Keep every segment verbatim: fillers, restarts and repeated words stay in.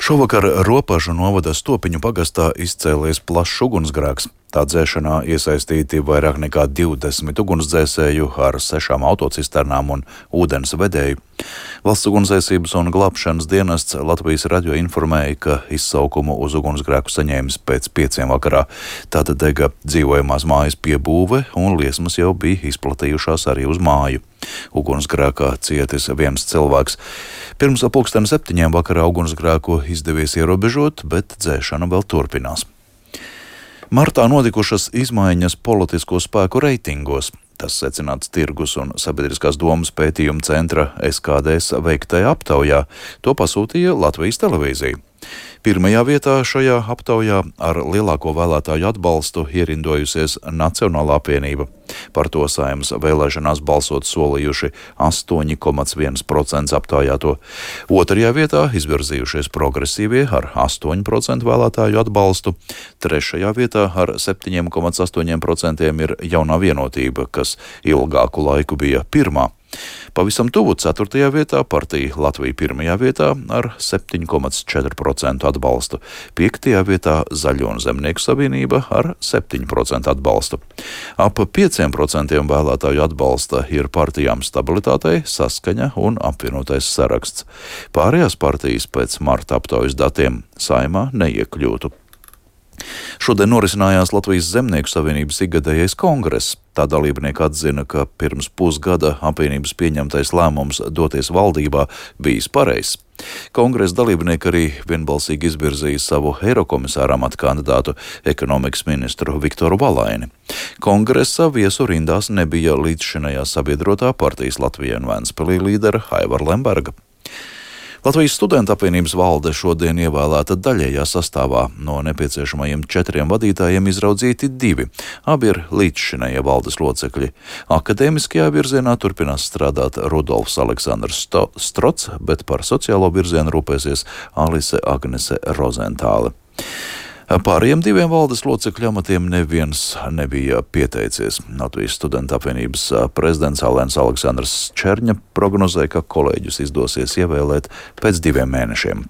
Šovakar Ropažu novada Stopiņu pagastā izcēlies plašs ugunsgrēks. Tā dzēšanā iesaistīti vairāk nekā divdesmit ugunsdzēsēju ar sešām autocisternām un ūdens vedēju. Valsts ugunsdzēsības un glābšanas dienests Latvijas radio informēja, ka izsaukumu uz ugunsgrēku saņēmis pēc pieciem vakarā. Tātad dega dzīvojamās mājas piebūve un liesmas jau bija izplatījušās arī uz māju. Ugunsgrēkā cietis viens cilvēks. Pirms pulksten septiņiem vakarā ugunsgrēku izdevies ierobežot, bet dzēšana vēl turpinās. Martā notikušas izmaiņas politisko spēku reitingos. Tas secināts Tirgus un sabiedriskās domas pētījuma centra S K D S veiktajā aptaujā. To pasūtīja Latvijas televīzija. Pirmajā vietā šajā aptaujā ar lielāko vēlētāju atbalstu ierindojusies Nacionālā apvienība. Par to Saeimas vēlēšanās balsot solījuši astoņi komats viens procents aptaujāto. Otrajā vietā izvirzījušies progresīvie ar astoņu procentu vēlētāju atbalstu. Trešajā vietā ar septiņi komats astoņi procenti ir Jaunā vienotība, kas ilgāku laiku bija pirmā. Pavisam tuvu ceturtajā vietā partija Latvija pirmajā vietā ar septiņi komats četri procenti atbalstu. Piektajā vietā Zaļo un Zemnieku savienība ar septiņu procentu atbalstu. Ap pieciem procentiem vēlētāju atbalsta ir partijām Stabilitātei, Saskaņa un Apvienotais saraksts. Pārējās partijas pēc marta aptaujas datiem Saeimā neiekļūtu. Šodien norisinājās Latvijas Zemnieku savienības ikgadējais kongress. Tā dalībnieki atzina, ka pirms pusgada apvienības pieņemtais lēmums doties valdībā bijis pareizs. Kongresa dalībnieki arī vienbalsīgi izvirzīja savu eirokomisāra amata kandidātu ekonomikas ministru Viktoru Valaini. Kongresa viesu rindās nebija līdzšinējā sabiedrotā partijas Latvijai un Ventspilī līdera Aivara Lemberga. Latvijas studentu apvienības valde šodien ievēlēta daļējā sastāvā. No nepieciešamajiem četriem vadītājiem izraudzīti divi. Abi ir līdzšinējie valdes locekļi. Akadēmiskajā virzienā turpinās strādāt Rudolfs Aleksandrs Strots, bet par sociālo virzienu rūpēsies Alise Agnese Rozentāle. Pārējiem diviem valdes locekļu amatiem neviens nebija pieteicies. Latvijas studentu apvienības prezidents Alens Aleksandrs Čerņa prognozēja, ka kolēģus izdosies ievēlēt pēc diviem mēnešiem.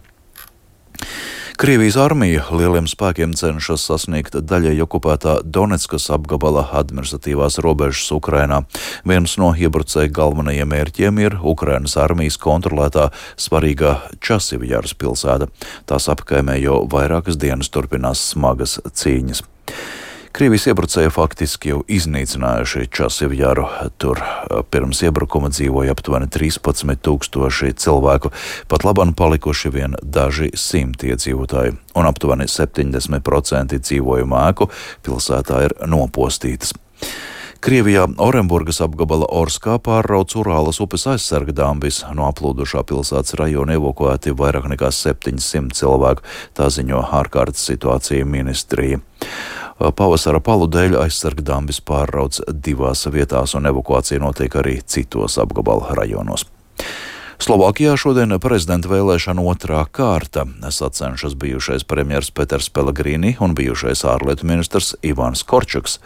Krievijas armija lieliem spēkiem cenšas sasniegt daļēji okupētā Doneckas apgabala administratīvās robežas Ukrainā. Viens no iebrucēju galvenajiem mērķiem ir Ukrainas armijas kontrolētā svarīgā Časivjaras pilsēta. Tās apkaimē jau vairākas dienas turpinās smagas cīņas. Krievijas iebrucēji faktiski jau iznīcinājuši Časivjaru. Tur pirms iebrukuma dzīvoja aptuveni trīspadsmit tūkstoši cilvēku, pat labam palikuši vien daži simti iedzīvotāji, un aptuveni septiņdesmit procenti dzīvojumu ēku pilsētā ir nopostītas. Krievijā Orenburgas apgabala Orskā pārrauc Urālas upes aizsarga dambis. No aplūdušā pilsētas rajona evakuēti vairāk nekā septiņsimt cilvēku, tā ziņo ārkārtas situācija ministrija. Pavasara palu dēļ aizsarga dambis pārrauc divās vietās un evakuācija notiek arī citos apgabala rajonos. Slovākijā šodien prezidenta vēlēšana otrā kārta. Sacenšas bijušais premjers Peters Pellegrini un bijušais ārlietu ministrs Ivans Korčuks.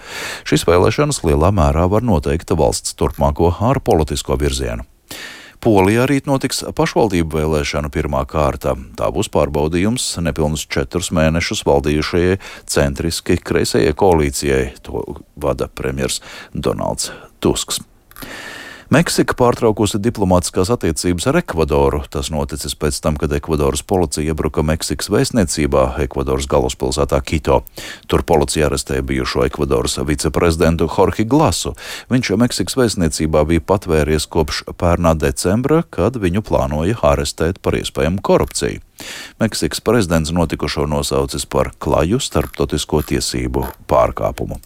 Šīs vēlēšanas lielā mērā var noteikt valsts turpmāko ārpolitisko virzienu. Polijā rīt notiks pašvaldību vēlēšanu pirmā kārta. Tā būs pārbaudījums nepilnus četrus mēnešus valdījušajai centriski kreisajai koalīcijai. To vada premjers Donalds Tusks. Meksika pārtraukusi diplomātiskās attiecības ar Ekvadoru. Tas noticis pēc tam, kad Ekvadoras policija iebruka Meksikas vēstniecībā Ekvadoras galvaspilsētā Kito. Tur policija arestēja bijušo Ekvadoras viceprezidentu Jorge Glasu. Viņš Meksikas vēstniecībā bija patvēries kopš pērnā decembra, kad viņu plānoja arestēt par iespējamu korupciju. Meksikas prezidents notikušo nosaucis par klaju starptautisko tiesību pārkāpumu.